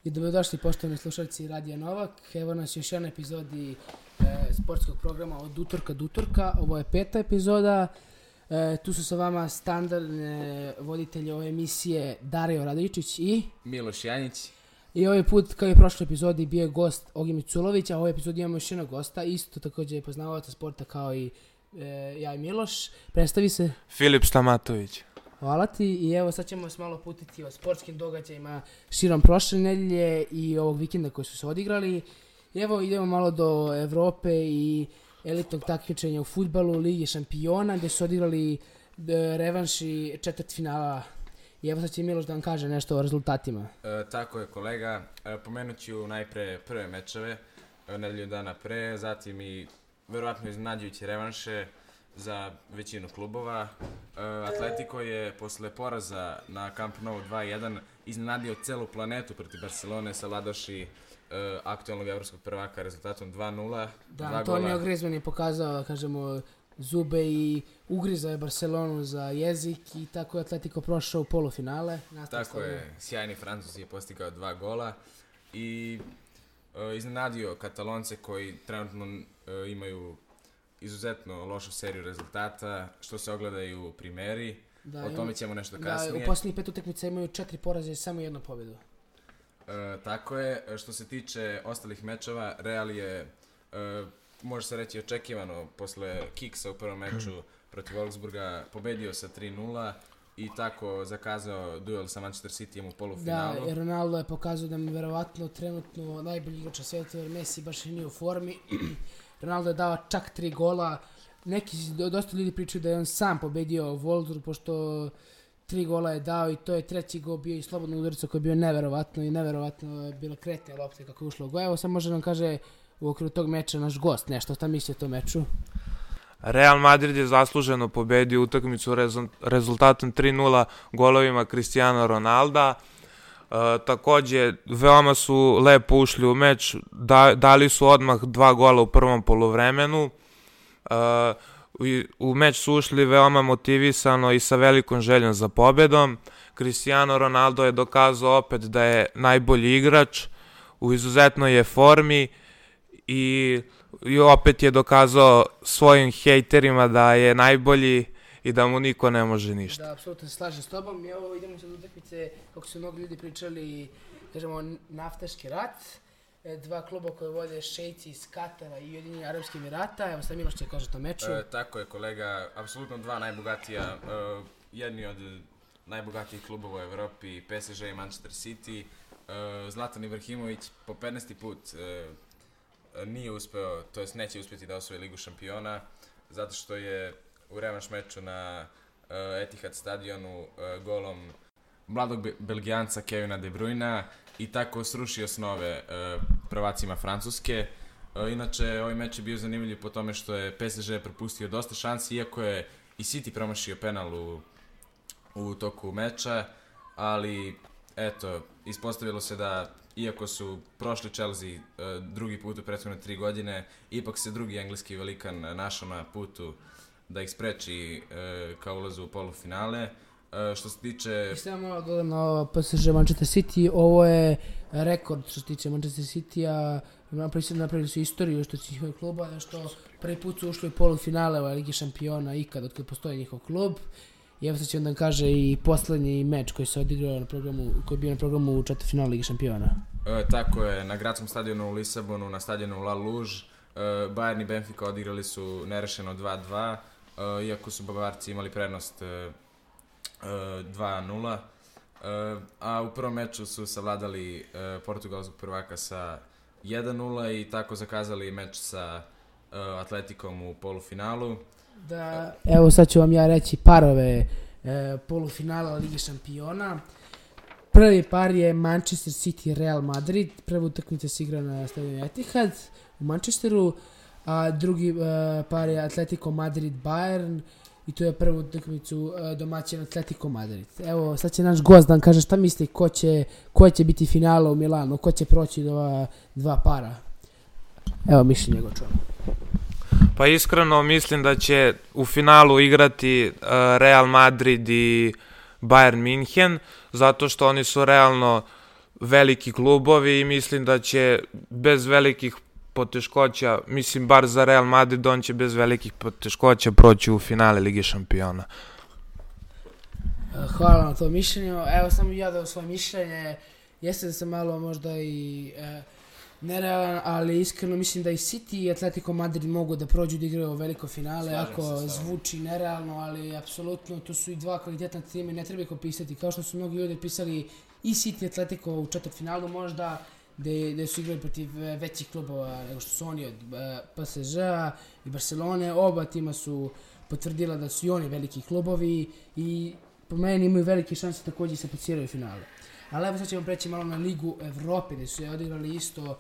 I dobrodošli poštovani slušalci Radija Novak. Evo nas još jedna epizodi sportskog programa od utorka do utorka. Ovo je 5. epizoda. Tu su sa vama standardne voditelje ove emisije Dario Radojičić i Miloš Janjić. I ovaj put, kao i u prošloj epizodi, bio je gost Ogi Miculović, a u ovoj epizodi imamo još jednog gosta, isto također je poznavalac sporta kao i ja i Miloš. Predstavi se. Filip Stamatović. Hvala ti i evo sad ćemo se malo putiti o sportskim događajima širom prošle nedelje i ovog vikenda koji su se odigrali. I evo idemo malo do Evrope i elitnog takmičenja u fudbalu, Lige šampiona, gdje su odigrali revanši četvrtfinala. I evo sad će Miloš da vam kaže nešto o rezultatima. Tako je kolega, pomenut ću najpre prve mečeve, nedelju dana pre, zatim i verovatno iznenađujuće revanše za većinu klubova. Atletico je posle poraza na Camp Nou 2-1 iznenadio celu planetu protiv Barcelone, savladavši aktualnog evropskog prvaka rezultatom 2-0. Da, Antonio Griezmann je pokazao, kažemo, zube i ugrizao je Barcelonu za jezik i tako je Atletico prošao u polufinale. Tako je, sjajni Francuz je postigao 2 gola i iznenadio Katalonce koji trenutno imaju izuzetno lošu seriju rezultata, što se ogleda i u primeri. O tome ćemo nešto kasnije. Da, u posljednjih 5 utakmica imaju 4 poraze i samo 1 pobjedu. Tako je, što se tiče ostalih mečeva, Real je, može se reći očekivano, posle kiksa u prvom meču protiv Wolfsburga, pobedio sa 3-0 i tako zakazao duel sa Manchester Cityjem u polufinalu. Da, Ronaldo je pokazao da mi verovatno trenutno najbolji igrač na svijetu, jer Messi baš nije u formi. Ronaldo je dao čak 3 gola. Neki, dosta ljudi pričaju da je on sam pobedio Wolfsburg, pošto 3 gola je dao i to je treći gol bio i slobodno udarica koji je bio neverovatno i neverovatno je bilo kretnja lopte kako je ušlo u gol. Evo sad može nam kaže u okviru tog meča naš gost nešto, šta misli o tom meču? Real Madrid je zasluženo pobedio utakmicu rezultatom 3-0 golovima Cristiano Ronalda. Također, veoma su lepo ušli u meč, dali su odmah 2 gola u prvom poluvremenu. U meč su ušli veoma motivisano i sa velikom željom za pobedom. Cristiano Ronaldo je dokazao opet da je najbolji igrač, u izuzetnoj je formi i opet je dokazao svojim hejterima da je najbolji i da mu niko ne može ništa. Da, apsolutno se slažem s tobom. I ovo idemo sad utakmice, kako su mnogi ljudi pričali, kažemo, naftaški rat. 2 kluba koje vode Šejci iz Katara i Ujedinjeni Arapski Emirata. Evo sad Miloš će kaže to meču. Tako je kolega, apsolutno 2 najbogatija, jedni od najbogatijih klubova u Evropi, PSG i Manchester City. Zlatan Ibrahimović po 15. put nije uspeo, to jest neće uspjeti da osvoji Ligu šampiona, zato što je u revanš meču na Etihad stadionu golom mladog Belgijanca Kevina De Bruyna i tako srušio snove prvacima Francuske. Inače, ovaj meč je bio zanimljiv po tome što je PSG propustio dosta šansi, iako je i City promašio penal u toku meča, ali eto, ispostavilo se da iako su prošli Chelsea drugi put u prethodne 3 godine, ipak se drugi engleski velikan našao na putu da ih spreči kao ulazu u polufinale. Što se tiče... I samo malo dodam na PSG Manchester City, ovo je rekord što se tiče Manchester City-a, napravili su istoriju što se njihov kluba, da što prvi put su ušli u polufinale u Ligi šampiona ikad od kada postoji njihov klub. I evo sad će onda kaže i posljednji meč koji se odigrao na programu, koji je bio na programu četvrtfinala Lige šampiona. Tako je, na gradskom stadionu u Lisabonu, na stadionu La Luge, Bayern i Benfica odigrali su nerešeno 2-2, iako su Bavarci imali prednost 2-0, a u prvom meču su savladali portugalskog prvaka sa 1-0 i tako zakazali meč sa Atletikom u polufinalu. Da, evo sad ću vam ja reći parove polufinala Lige šampiona. Prvi par je Manchester City Real Madrid, prva utakmica se igra na stadionu Etihad u Manchesteru, a drugi par je Atletico Madrid Bayern i to je prvu utakmicu domaćin Atletico Madrid. Evo sad će naš gost da nam kaže šta misli ko će biti finala u Milanu, ko će proći do ova 2 para. Evo mišljenje go čujemo. Pa iskreno mislim da će u finalu igrati Real Madrid i Bayern München, zato što oni su realno veliki klubovi i mislim da će bez velikih poteškoća, mislim bar za Real Madrid, on će bez velikih poteškoća proći u finale Lige šampiona. Hvala na to mišljenju. Evo samo ja dao svoje mišljenje. Jeste da sam malo možda i nerealan, ali iskreno mislim da i City i Atletico Madrid mogu da prođu da igraju veliko finale. Ako zvuči nerealno, ali apsolutno to su i dva kvalitetna tima i ne treba ih opisati. Kao što su mnogi ljudi pisali i City i Atletico u četvrtfinalu možda, gde su igrali protiv većih klubova nego što su oni od PSG-a i Barcelone. Oba tima su potvrdila da su i oni veliki klubovi i po meni imaju velike šanse također se plasiraju u finale. Ali evo sad ćemo preći malo na Ligu Evrope gdje su je odigrali isto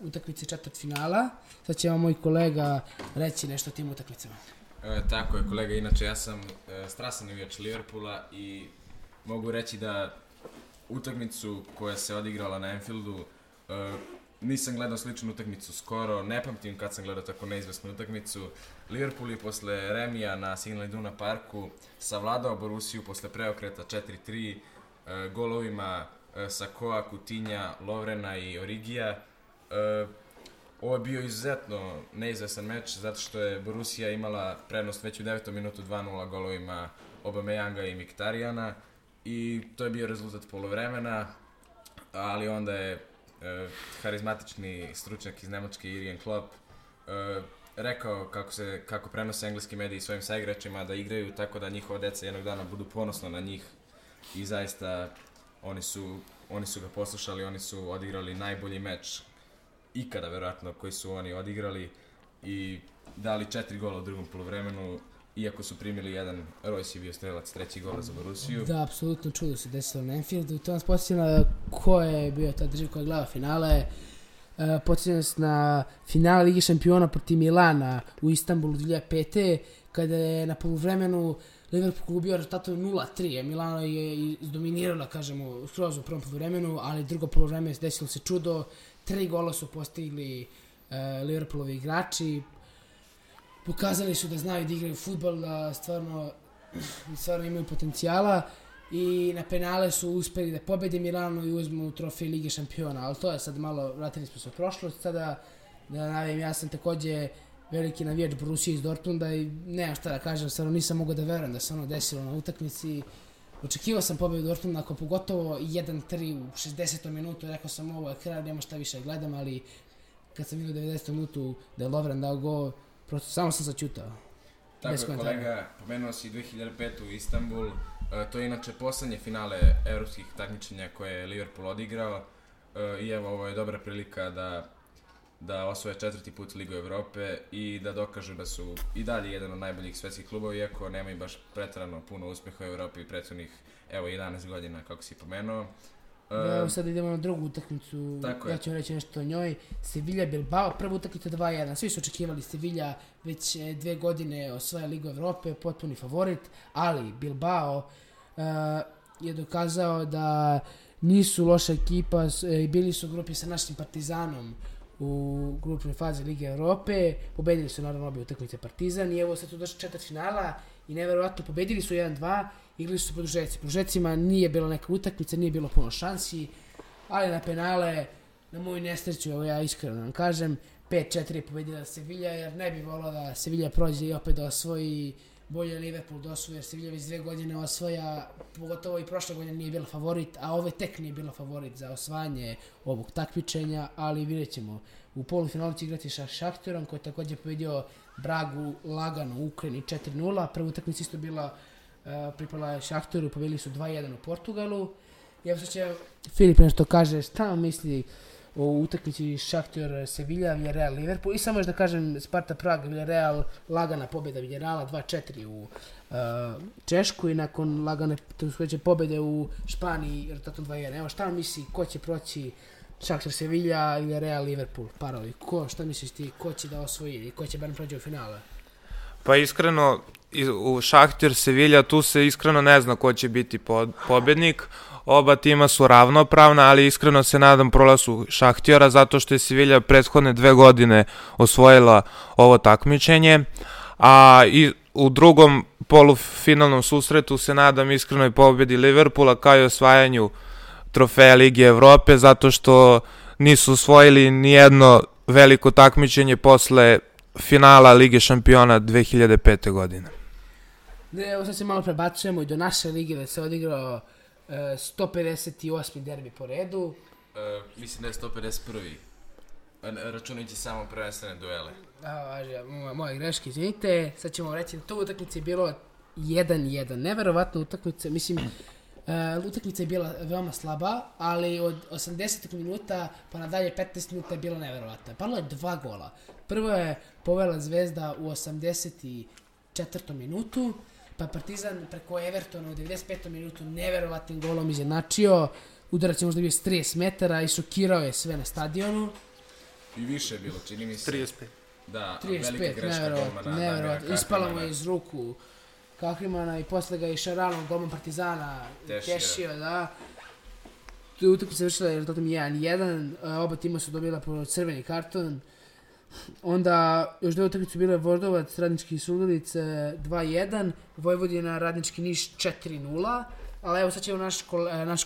utakmice četvrtfinala. Sad će vam moj kolega reći nešto o tim utakmicama. Tako je kolega, inače ja sam strasan navijač Liverpoola i mogu reći da utakmicu koja se odigrala na Anfieldu nisam gledao sličnu utakmicu skoro, ne pamtim kad sam gledao tako neizvesnu utakmicu. Liverpool je posle remija na Signal Iduna Parku savladao Borussiju posle preokreta 4-3 golovima Sakoa, Coutinha, Lovrena i Origija. Ovo je bio izuzetno neizvesan meč zato što je Borussija imala prednost već u 9. minutu 2-0 golovima Aubameyanga i Mkhitarjana i to je bio rezultat poluvremena, ali onda je harizmatični stručnjak iz Nemačke Jürgen Klopp rekao kako prenose engleski mediji svojim saigračima da igraju tako da njihova deca jednog dana budu ponosna na njih i zaista oni su ga poslušali, oni su odigrali najbolji meč ikada verovatno koji su oni odigrali i dali 4 gola u drugom poluvremenu, iako su primili jedan. Royce je bio strelac, 3. gola za Borussiju. Da, apsolutno čudo se desilo na Anfieldu i to nas podsjeća na ko je bio ta država koja glava finale. Podsjeća nas na finale Lige šampiona protiv Milana u Istanbulu 2005. kada je na poluvremenu Liverpool ubio rezultatom 0-3. Milano je izdominirala, kažemo, skroz u prvom poluvremenu, ali drugo poluvreme desilo se čudo. 3 gola su postigli Liverpoolovi igrači. Pokazali su da znaju da igraju fudbal, da stvarno imaju potencijala i na penale su uspeli da pobede Milano i uzmu trofej Lige šampiona, ali to je sad malo, vratili smo se u prošlost. Sada da navijam, ja sam također veliki navijač Borussije iz Dortmunda i nemam šta da kažem, stvarno nisam mogao da verujem da se ono desilo na utakmici. Očekivao sam pobedu Dortmunda, ako pogotovo 1-3 u 60. minutu, rekao sam ovo je kraj, nema šta više gledam, ali kad sam vidio 90. minutu da je Lovren dao gol, prosto samo sam začutao. Tako je kolega, pomenuo si 2005. u Istanbul, to je inače poslednje finale evropskih takmičenja koje je Liverpool odigrao i evo ovo je dobra prilika da osvoje 4. put Ligu Evrope i da dokažu da su i dalje jedan od najboljih svetskih klubova, iako nemaju baš preterano puno uspjeha u Evropi prethodnih 11 godina kako si pomenuo. Evo sad idemo na drugu utakmicu, ja ću reći nešto o njoj. Sevilla Bilbao, prva utakmica 2-1, svi su očekivali Sevilla već 2 godine osvaja Ligu Evrope, potpuni favorit, ali Bilbao je dokazao da nisu loša ekipa i bili su u grupi sa našim Partizanom u grupnoj fazi Lige Evrope, pobedili su naravno obje utakmice Partizan i evo sad tu došli četvrtfinala i neverovatno pobedili su 1-2, igrali su po produžecima, nije bilo neka utakmica, nije bilo puno šansi, ali na penale, na moju nesreću, evo ja iskreno vam kažem, 5-4 je pobedila Sevilla, jer ne bi volao da Sevilla prođe i opet da osvoji, bolje Liverpool da osvoji, jer Sevilla već 2 godine osvaja, pogotovo i prošle godine nije bila favorit, a ove tek nije bila favorit za osvajanje ovog takmičenja, ali vidjet ćemo. U polufinalu će igrati sa Šahtorom, koji je također pobedio Bragu lagano u Ukrajini 4-0, prva utakmica isto bila pripala Šahtoru, pobedili su 2-1 u Portugalu. I evo sad će Filip nešto kaže šta misli o utakmici Šahtor Sevilla, Villarreal Liverpool i samo još da kažem Sparta Prag Villarreal, lagana pobjeda Villarreala 2-4 u Češku i nakon lagane pobjede u Španiji rezultatom 2-1. Evo šta misli ko će proći Šahtor Sevilla, Villarreal Liverpool, parovi, šta misliš ti, ko će da osvoji i ko će barem prođe u finale? Pa iskreno, u Šahtor Sevilla tu se iskreno ne zna ko će biti pobednik. Oba tima su ravnopravna, ali iskreno se nadam prolazu Šahtora zato što je Sevilla prethodne 2 godine osvojila ovo takmičenje, a i u drugom polufinalnom susretu se nadam iskrenoj pobedi Liverpoola kao i osvajanju trofeja Lige Evrope zato što nisu osvojili nijedno veliko takmičenje posle finala Lige šampiona 2005. godine. Evo sad se malo prebacujemo i do naše lige da se odigrao 158. derbi po redu. Mislim da je 151. Računajući samo prvenstvene duele. Moje greške, izvinite. Sad ćemo reći da to utakmice je bilo 1-1. Neverovatna utakmica, mislim, utakmica je bila veoma slaba, ali od 80 minuta pa nadalje 15 minuta je bila neverovatna. Palo je 2 gola. Prvo je povela Zvezda u 84. minutu, pa Partizan preko Evertona u 95. minutu neverovatnim golom izjednačio. Udarac je možda bio s 30 metara i šokirao je sve na stadionu. I više je bilo, čini mi se. 35. Da, 35, velika greška golmana. neverovatno. Ispala mu je iz ruku Kahrimana i posle ga je Šaralom, golman Partizana, tešio, da. Tu utakmica se završila rezultatom 1-1, oba tima su dobila po crveni karton. Onda još dve utakmice bile Voždovac, Radnički Surdulice 2-1, Vojvodina, Radnički Niš 4-0. Ali evo sad će naš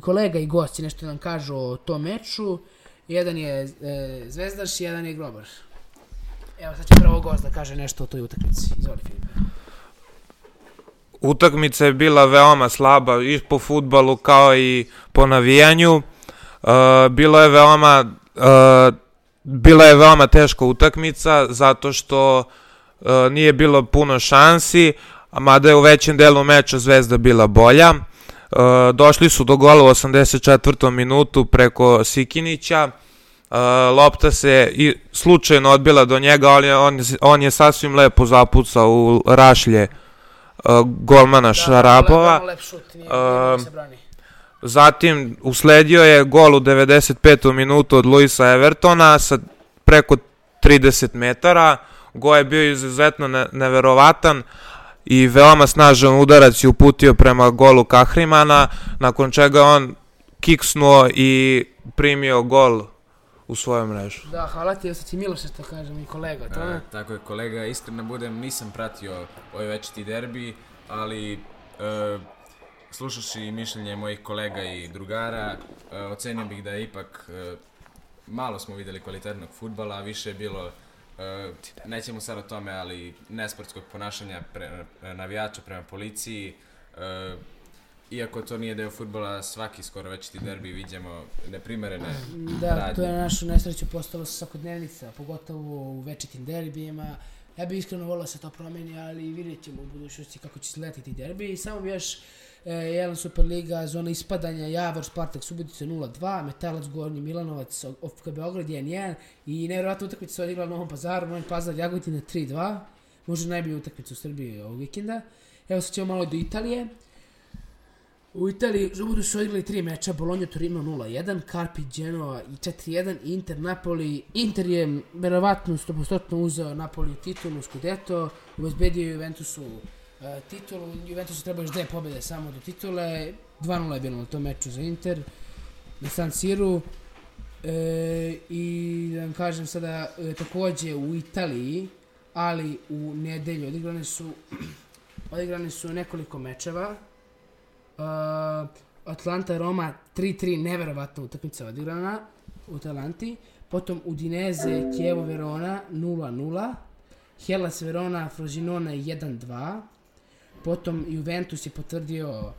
kolega i gosti nešto nam kažu o tom meču. Jedan je Zvezdaš, jedan je Grobar. Evo sad će prvo gost da kaže nešto o toj utakmici. Izvoli, Filipe. Utakmica je bila veoma slaba i po fudbalu kao i po navijanju. Bila je veoma teška utakmica zato što nije bilo puno šansi, mada je u većem delu meča Zvezda bila bolja. Došli su do gola u 84. minutu preko Sikinića. Lopta se i slučajno odbila do njega, ali on je sasvim lepo zapucao u rašlje golmana Šarapova. Zatim usledio je gol u 95. minutu od Luisa Evertona sa preko 30 metara. Gol je bio izuzetno neverovatan i veoma snažan udarac je uputio prema golu Kahrimana, nakon čega on kiksnuo i primio gol u svoju mrežu. Da, hvala ti, sad si Miloš što kažem i kolega. Tako je, kolega, iskreno budem, nisam pratio ovaj večiti derbi, ali slušaš i mišljenje mojih kolega i drugara, ocenio bih da je ipak malo smo videli kvalitetnog fudbala, više je bilo, nećemo sad o tome, ali nesportskog ponašanja navijača prema policiji. Iako to nije deo fudbala, svaki skoro večiti derbi vidimo neprimerene radnje. Da, to je na našu nesreću postalo svakodnevnica, pogotovo u večitim derbijima. Ja bih iskreno volio da se to promeni, ali vidjet ćemo u budućnosti kako će sletiti derbi. I samo bi još jedan Superliga, zona ispadanja, Javor, Spartak, Subotica 0-2, Metalac, Gornji Milanovac, OFK Beograd 1-1 i nevjerovatna utakmica se odigrala u Novom Pazaru, Novi Pazar, Jagodina 3-2, možda najbolja utakmica u Srbiji ovog vikenda. Evo sad ćemo malo do Italije. U Italiji budu se odigrali 3 meča, Bologna Torino 0-1, Carpi Genoa 4-1, Inter Napoli. Inter je verovatno 100% uzeo Napoli titulu, Scudetto, obezbedio Juventusu titulu. Juventusu treba još 2 pobjede samo do titule, 2-0 je bilo na tom meču za Inter na San Siru. I da vam kažem sada, takođe u Italiji, ali u nedelju odigrane su nekoliko mečeva. Atlanta Roma 3-3, neverovatna utakmica odigrana u Atalanti. Potom Udinese Chievo Verona 0-0, Hellas Verona Frosinone 1-2. Potom Juventus je potvrdio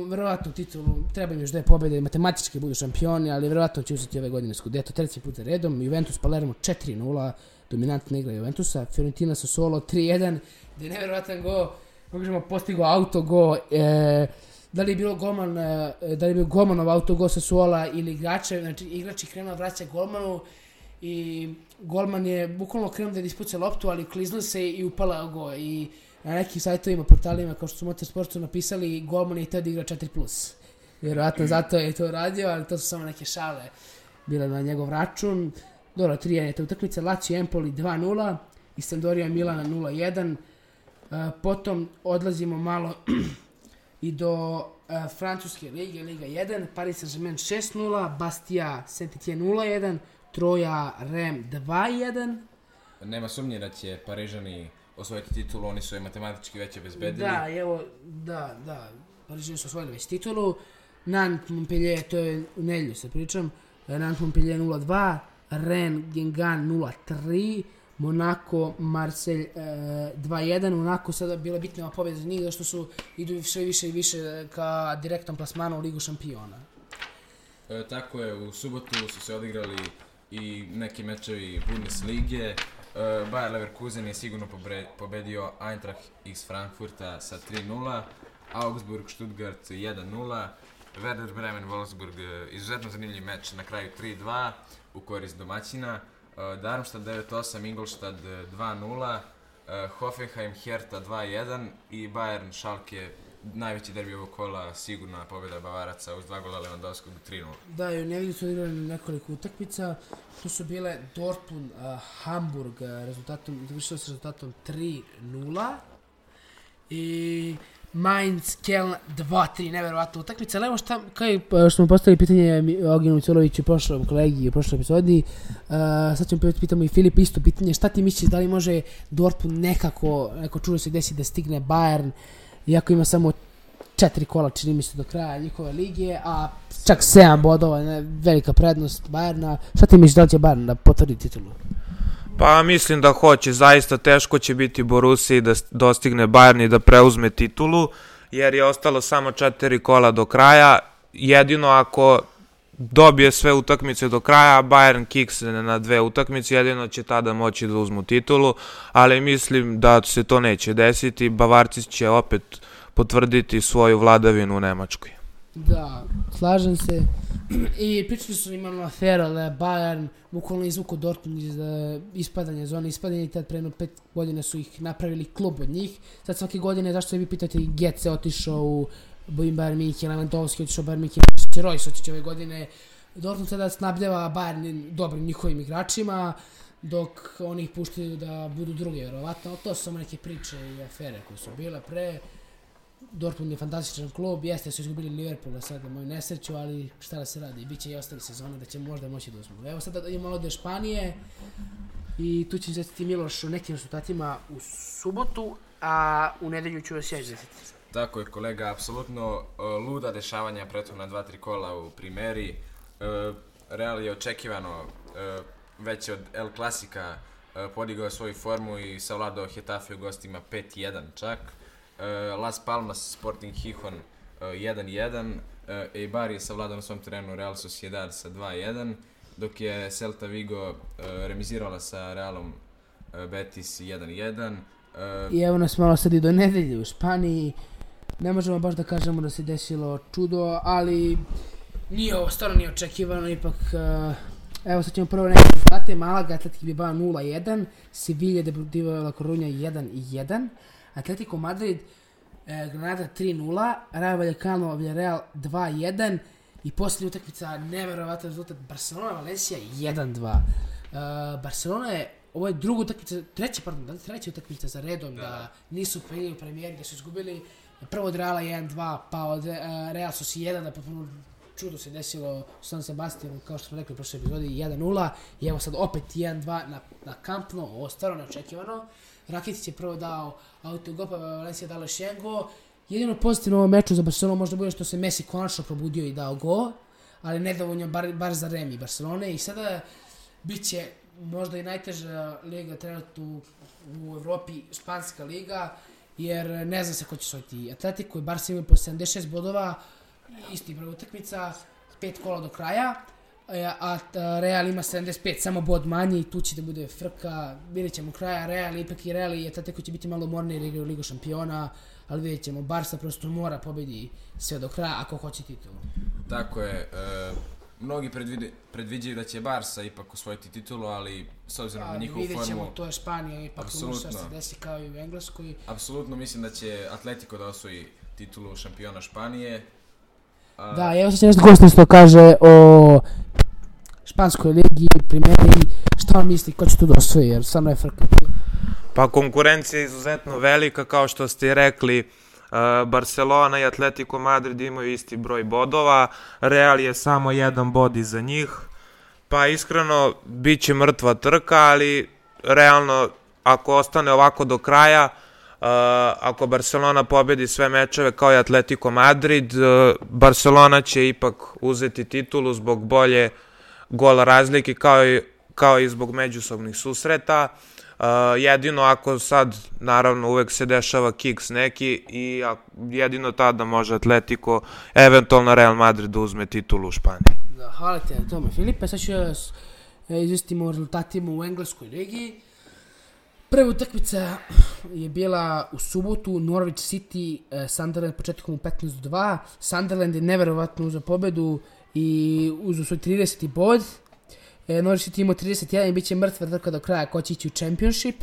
verovatno titulu, treba im još 2 pobjede, matematički budu šampioni, ali verovatno će uzeti ove godine Scudetto 3. puta redom. Juventus Palermo 4-0, dominantna igra Juventusa. Fiorentina Sassuolo 3-1, gde je neverovatan go, možemo postigao autogo. Da li je bio golmanov autogol Sassuola ili igrača, znači igrač je krenuo vraća golmanu i golman je bukvalno krenuo da ispuca loptu, ali kliznuo se i upala go. I na nekim sajtovima, portalima kao što su Motorsport su napisali, golman je htio da igra 4+. Vjerojatno zato je to radio, ali to su samo neke šale bile na njegov račun. Dobro, 3-1 je ta utakmica. Lazio Empoli 2-0 i Sampdoria Milana 0-1. Potom odlazimo malo i do francuske lige, Liga 1, Paris Saint-Germain 6-0, Bastia Saint-Étienne 0-1, Troja Reims 2-1. Nema sumnje da će Parižani osvojiti titulu, oni su je matematički već obezbedili. Da, Parižani su osvojili već titulu. Nantes Montpellier, to je u nedjelju se pričam, Nantes Montpellier 0-2, Rennes Guingamp 0-3, Monaco Marseille 2-1. Monaco sada bila bitna pobjeda za njih, zašto su idu sve više i više ka direktnom plasmanu u Ligu šampiona. Tako je, u subotu su se odigrali i neki mečevi Bundeslige. Bayer Leverkusen je sigurno pobedio Eintracht iz Frankfurta sa 3-0, Augsburg Stuttgart 1-0, Werder Bremen Wolfsburg, izuzetno zanimljiv meč, na kraju 3-2 u korist domaćina, Darmstadt 9-8, Ingolstadt 2-0, Hoffenheim Hertha 2-1 i Bayern Schalke, najveći derbi ovog kola, sigurna pobjeda Bavaraca uz 2 gola Lewandowskog 3-0. Da, i u nedjelju su odigrali nekoliko utakmica, tu su bile Dortmund, Hamburg, završilo se rezultatom 3-0 i Mainz, Keln 2-3, neverovatna utakmica. Ali evo što smo postavili pitanje Ognjenu Coloviću prošlom kolegi u prošloj epizodi, sad ćemo pitamo i Filip isto pitanje, šta ti misliš, da li može Dortmund neko čudo se desi da stigne Bayern, iako ima samo 4 kola, čini mi se, do kraja njihove lige, a čak 7 bodova, velika prednost Bayerna. Šta ti misliš, da li će Bayern da potvrdi titulu? Pa mislim da hoće, zaista teško će biti Borussiji da dostigne Bayern i da preuzme titulu, jer je ostalo samo 4 kola do kraja. Jedino ako dobije sve utakmice do kraja, Bayern kiksne na 2 utakmice, jedino će tada moći da uzmu titulu, ali mislim da se to neće desiti. Bavarci će opet potvrditi svoju vladavinu u Nemačkoj. Da, slažem se. I pričali su imamo aferu da je Bayern bukvalno izvuko Dortmund iz ispadanja zone ispadanja i tad prema 5 godina su ih napravili klub od njih. Sad svake godine, zašto se vi pitate, Götze otišao u Bayern München, Lewandowski otišao u Bayern München, Royce otišao ove godine. Dortmund sada snabdeva Bayern dobrim njihovim igračima, dok oni ih puštaju da budu drugi, vjerovatno. To su samo neke priče i afere koje su bile pre. Dortmund je fantastičan klub, jeste su izgubili Liverpoola sad na moju nesreću, ali šta da se radi, bit će i ostali sezone da će možda moći da uzmu. Evo sada imamo ovdje Španije i tu će izvestiti Miloš o nekim rezultatima u subotu, a u nedelju ću vas ja izvestiti. Tako je, kolega, apsolutno luda dešavanja prethodna 2-3 kola u Primeri. Real je očekivano već od El Clásica podigao svoju formu i savladao Getafe u gostima 5-1 čak. Las Palmas Sporting Gijón 1-1, Eibar je savladao na svom terenu Real Sociedad sa 2-1, dok je Celta Vigo remizirala sa Realom Betis 1-1. I evo nas malo sad i do nedelje u Španiji. Ne možemo baš da kažemo da se desilo čudo, ali stvarno nije očekivano, ipak. Evo sad ćemo prvo neke rezultate. Malaga, Atletik Bilbao 0-1, Sevilla Deportivo La Coruña 1-1, Atletico Madrid, Granada 3-0, Rayo Vallecano, Villarreal 2-1 i posljednja utakmica, neverovatan rezultat, Barcelona Valencia 1-2. Barcelona je, ovo je druga utakmica, treća utakmica za redom da nisu prenijeli u premijeri, da su izgubili prvo od Reala 1-2, pa od Real Sociedad, da potpuno čudo se desilo u San Sebastianu, kao što smo rekli u prošloj epizodi, 1-0 i evo sad opet 1-2 na Camp Nou, ovo stvarno neočekivano. Rakitic je prvo dao autogol, pa Valencia dala Šengo. Jedino pozitivno u ovom meču za Barcelonu možda bude što se Messi konačno probudio i dao gol, ali nedovoljno bar za Remi Barcelone i sada bit će možda i najteža liga trenutno u Evropi, Španska liga, jer ne zna se ko će osvojiti. Atletico i Barca imaju po 76 bodova, isti broj utakmica, 5 kola do kraja, a Real ima 75, samo bod manje i tu će da bude frka, vidjet ćemo kraja. Real i Atletico će biti malo umorni jer igraju Ligu šampiona, ali vidjet ćemo, Barca prosto mora pobedi sve do kraja ako hoće titulu. Tako je, mnogi predviđaju da će Barca ipak osvojiti titulu, ali s obzirom na njihovu formu... Vidjet ćemo, to je Španija, ipak može se desi kao i u Engleskoj. Apsolutno mislim da će Atletico da osvoji titulu šampiona Španije. Da, evo sad će nešto gosti što kaže o Španskoj ligi, primjeri, šta on misli, ko će tu da osvoji, jer stvarno je frka. Pa konkurencija je izuzetno velika, kao što ste rekli, Barcelona i Atletico Madrid imaju isti broj bodova, Real je samo 1 bod iza njih, pa iskreno bit će mrtva trka, ali realno ako ostane ovako do kraja, Ako Barcelona pobedi sve mečeve kao i Atletico Madrid, Barcelona će ipak uzeti titulu zbog bolje gola razlike kao i zbog međusobnih susreta. Jedino ako sad, naravno uvek se dešava kiks neki i jedino tada može Atletico, eventualno Real Madrid da uzme titulu u Španiji. Da, hvala ti na tome, Filipe. Sad ću izvestimo o rezultatima u engleskoj ligi. Prva utakmica je bila u subotu, Norwich City, Sunderland početkom u 15-2. Sunderland je neverovatno uzeo pobedu i uzeo svoj 30. bod. Norwich City imao 31 i bit će mrtva trka do kraja ko će ići u Championship.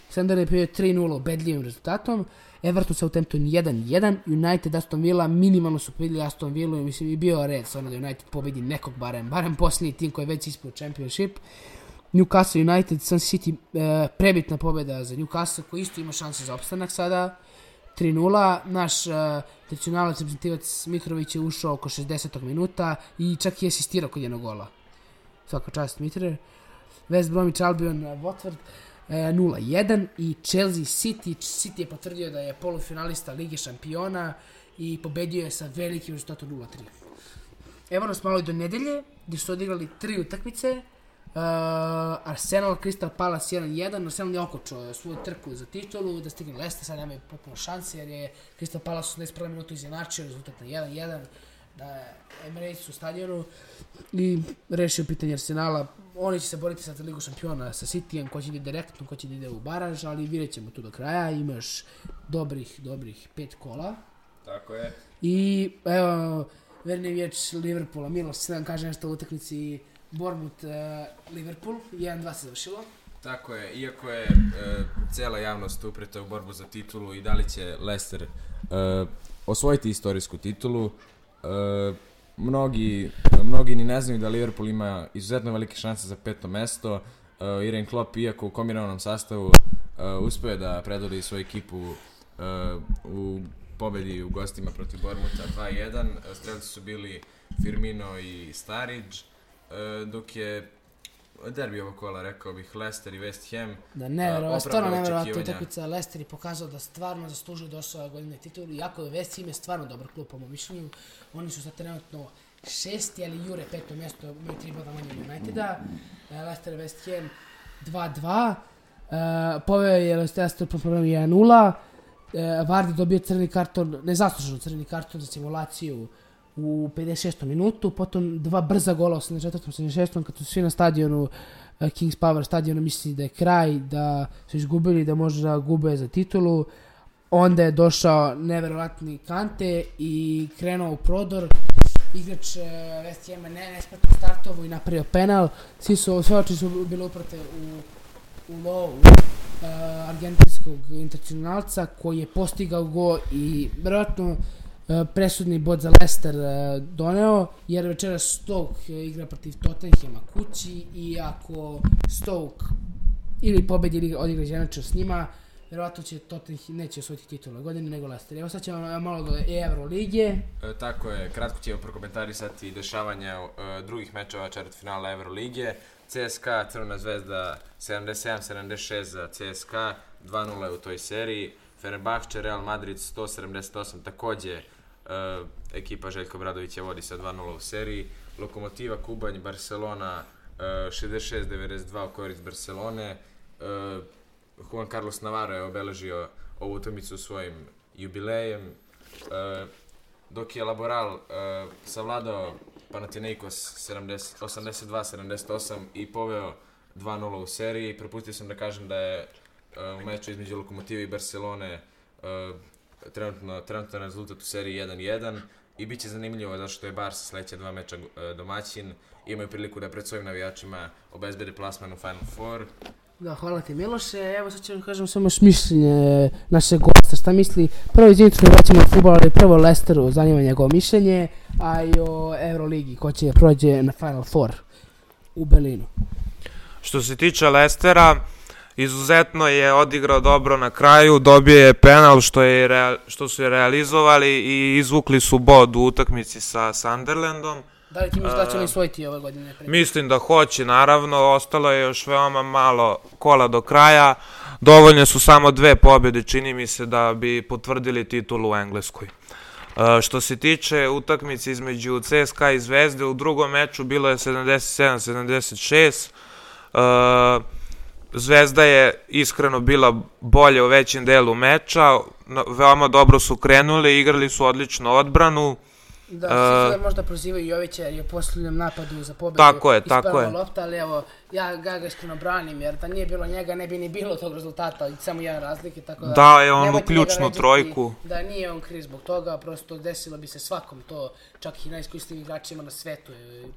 Sunderland je bio 3-0 ubedljivim rezultatom. Everton Southampton 1-1. United Aston Villa minimalno su pobedili Aston Villa i mislim i bio red sa ono da United pobedi nekog barem posljednji tim koji je već ispao Championship. Newcastle United, Sun City, prebitna pobjeda za Newcastle koji isto ima šanse za opstanak sada. 3-0. Naš tradicionalac reprezentativac Mitrović je ušao oko 60. minuta i čak i asistirao kod jednog gola. Svaka čast Mitre. West Bromwich Albion Watford 0-1 i Chelsea City. City je potvrdio da je polufinalista Lige šampiona i pobedio je sa velikim rezultatom 0-3. Evo nas malo i do nedelje gdje su odigrali 3 utakmice. Arsenal Crystal Palace 1-1. Arsenal je okočao svoju trku za titulu da stigne Leicester, sad nemaju potpuno šanse jer je Crystal Palace 81 minuta izjednačio rezultat na 1-1 na Emiratesu stadionu i rešio pitanje Arsenala. Oni će se boriti sa Ligu šampiona sa Cityjem, ko će ide direktno, ko će ide u baraž, ali vidjet ćemo tu do kraja. Imaš dobrih 5 kola. Tako je. I evo, verni vječ Liverpoola, Miloš, se nam kaže nešto u utakmici Bournemouth Liverpool, 1-2 se završilo. Tako je, iako je cijela javnost upreta u borbu za titulu i da li će Leicester osvojiti istorijsku titulu, mnogi ni ne znaju da Liverpool ima izuzetno velike šanse za 5. mesto. Jurgen Klopp, iako u kombinovanom sastavu, uspio da predvodi svoju ekipu u pobedi u gostima protiv Bournemoutha 2-1. Strelci su bili Firmino i Sturridge, dok je derbi ovog kola, rekao bih, Leicester i West Ham. Da, stvarno nevjerovatna utakmica. Leicester je pokazao da stvarno zaslužuje da osvoje godine titulu, iako je West Ham je stvarno dobar klub po mom mišljenju. Oni su sad trenutno 6. ali jure 5. mjesto, imaju 3 boda manje od Uniteda. Leicester i West Ham 2-2. Poveo je Leicester po programu 1-0. Vardy dobio crveni karton, nezasluženo crveni karton za simulaciju u 56. minutu, potom 2 brza gola u 74. 76. kad su svi na stadionu Kings Power stadionu misli da je kraj, da su izgubili, da možda gube za titulu. Onda je došao neverovatni Kante i krenuo u prodor. Igrač West Hama nespretno startovo i napravio penal. Sve oči su bile uprate u lovu argentinskog internacionalca koji je postigao go i vjerojatno presudni bod za Leicester doneo, jer večeras Stoke igra protiv Tottenhama kući i ako Stoke ili pobedi ili odigra izjednačio s njima, vjerojatno će Tottenham neće osvojiti titulu godine nego Leicester. Evo sad ćemo malo do Euroligije. Tako je, kratko ćemo prokomentarisati dešavanja drugih mečeva četvrtfinala Euroligije. CSKA Crvena zvezda 77-76 za CSKA, 2-0 u toj seriji. Fenerbahče Real Madrid 178, također ekipa Željka Obradovića vodi sa 2-0 u seriji. Lokomotiva Kubanj Barcelona 66-92 u korist Barcelone. Juan Carlos Navarro je obeležio ovu utakmicu svojim jubilejem, dok je Laboral savladao Panathinaikos 82-78 i poveo 2-0 u seriji. Propustio sam da kažem da je u meču između Lokomotive i Barcelone trenutno rezultat u seriji 1-1 i bit će zanimljivo zato što je Barca sledeća 2 meča domaćin. Imaju priliku da pred svojim navijačima obezbede plasman u Final Four. Da, hvala ti Miloše. Evo sad ćemo kažem samo mišljenje našeg gosta, šta misli. Prvo izvinite što vraćamo od futbola, ali prvo Leicesteru zanima njegovo mišljenje, a i o Euroligi ko će prođe na Final Four u Berlinu. Što se tiče Leicestera, izuzetno je odigrao dobro na kraju, dobio je penal što su je realizovali i izvukli su bod u utakmici sa Sunderlandom. Da li ti misliš da će oni osvojiti ove godine? Mislim da hoće, naravno, ostalo je još veoma malo kola do kraja. Dovoljne su samo 2 pobjede, čini mi se, da bi potvrdili titulu u Engleskoj. Što se tiče utakmice između CSKA i Zvezde, u drugom meču bilo je 77-76. Zvezda je iskreno bila bolje u većem delu meča, veoma dobro su krenuli, igrali su odličnu odbranu. Da, svi možda prozivaju Jovića jer je u posljednjem napadu za pobjedu ispravila lopta, ali evo, ja ga iskreno branim jer da nije bilo njega ne bi ni bilo tog rezultata, samo jedan razlike, tako da... Da, je on u ključnu trojku. Da, nije on kriv zbog toga, prosto desilo bi se svakom to, čak i najiskusnijim igračima na svetu,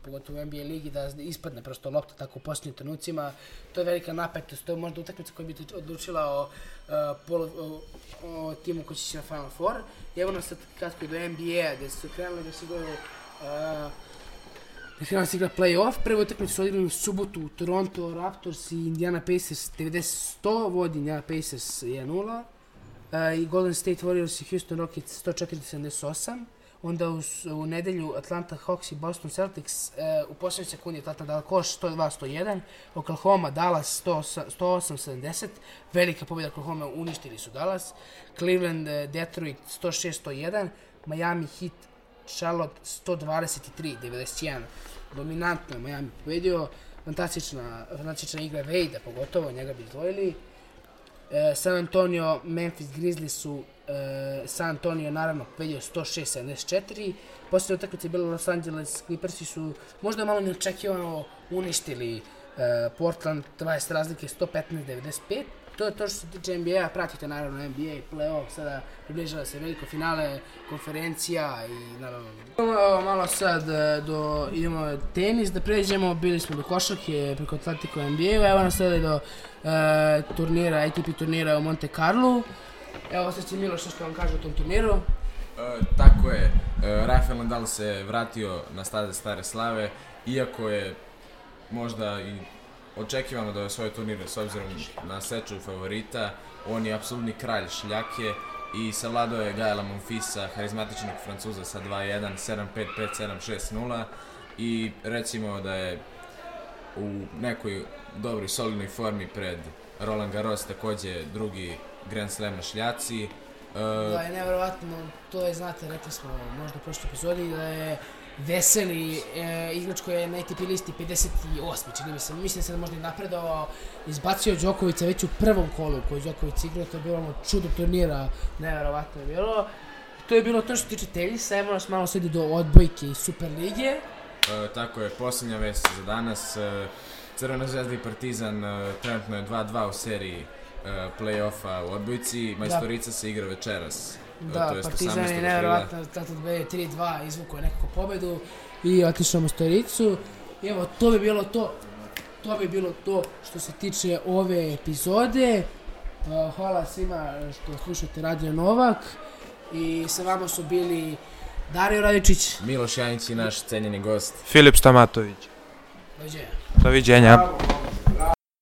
pogotovo u NBA ligi, da ispadne prosto lopta tako u posljednjim trenucima. To je velika napetost, to je možda utakmica koja bi odlučila o timu koji će se na Final Four. I evo nas sad kratko do NBA-a, gdje su krenuli da se igraju igra play-off. Prvu utakmicu su odigrali u subotu Toronto Raptors i Indiana Pacers 90-100, vodi Indiana Pacers 1-0. I Golden State Warriors i Houston Rockets 104-78. Onda u nedelju Atlanta Hawks i Boston Celtics u posljednjoj sekundi Atlanta dala koš 102-101. Oklahoma Dallas 108-70. Velika pobjeda Oklahoma, uništili su Dallas. Cleveland Detroit 106-101. Miami Heat Charlotte 123-91. Dominantno je Miami pobedio. Fantastična igra Wade-a, pogotovo njega bi izdvojili. San Antonio, Memphis Grizzlies su San Antonio naravno pobedio 106-74. Posljednja utakmica je bila Los Angeles Clippersi su možda malo neočekivano uništili Portland, 20 razlike 115-95. To je to što se tiče NBA, pratite naravno NBA, play-off, sada približava se veliko finale, konferencija i naravno... Malo sad idemo tenis, da pređemo, bili smo do košarke preko Atletico NBA, evo nas sada do turnira, ATP turnira u Monte Carlo. Evo sad će Miloš što vam kaže o tom turniru. Tako je, Rafael Nadal se vratio na staze stare slave, iako je možda i očekivano da je svoj turnir s obzirom na seču favorita. On je apsolutni kralj šljake i savladao je Gaela Monfilsa, harizmatičnog Francuza sa 2-1, 7-5, 5-7, 6-0 i recimo da je u nekoj dobroj solidnoj formi pred Roland Garros, također drugi Grand Slam na šljaci. Da je nevjerovatno, to je, znate, rekli smo možda u prošloj epizodi, da je Veseli igrač koji je na ATP listi 58. čini mi se, mislim se da možda i napredovao, izbacio Đokovića već u prvom kolu koji Đoković igrao, to je bilo čudo turnira, nevjerovatno je bilo. To je bilo to što se tiče tenisa, evo nas malo sedi do odbojke i Superlige. Tako je, posljednja vest za danas, Crvena zvezda i Partizan trenutno je 2-2 u seriji play-offa u odbojci, Majstorica se igra večeras. Da, Partizan je nevjerovatno, tato 3-2 izvukao je nekako pobedu i otišao Majstoricu. I evo, to bi bilo to što se tiče ove epizode. Hvala svima što slušate Radio Novak i sa vama su bili Dario Radičić, Miloš Janić i naš cenjeni gost Filip Stamatović. Doviđenja. Doviđenja.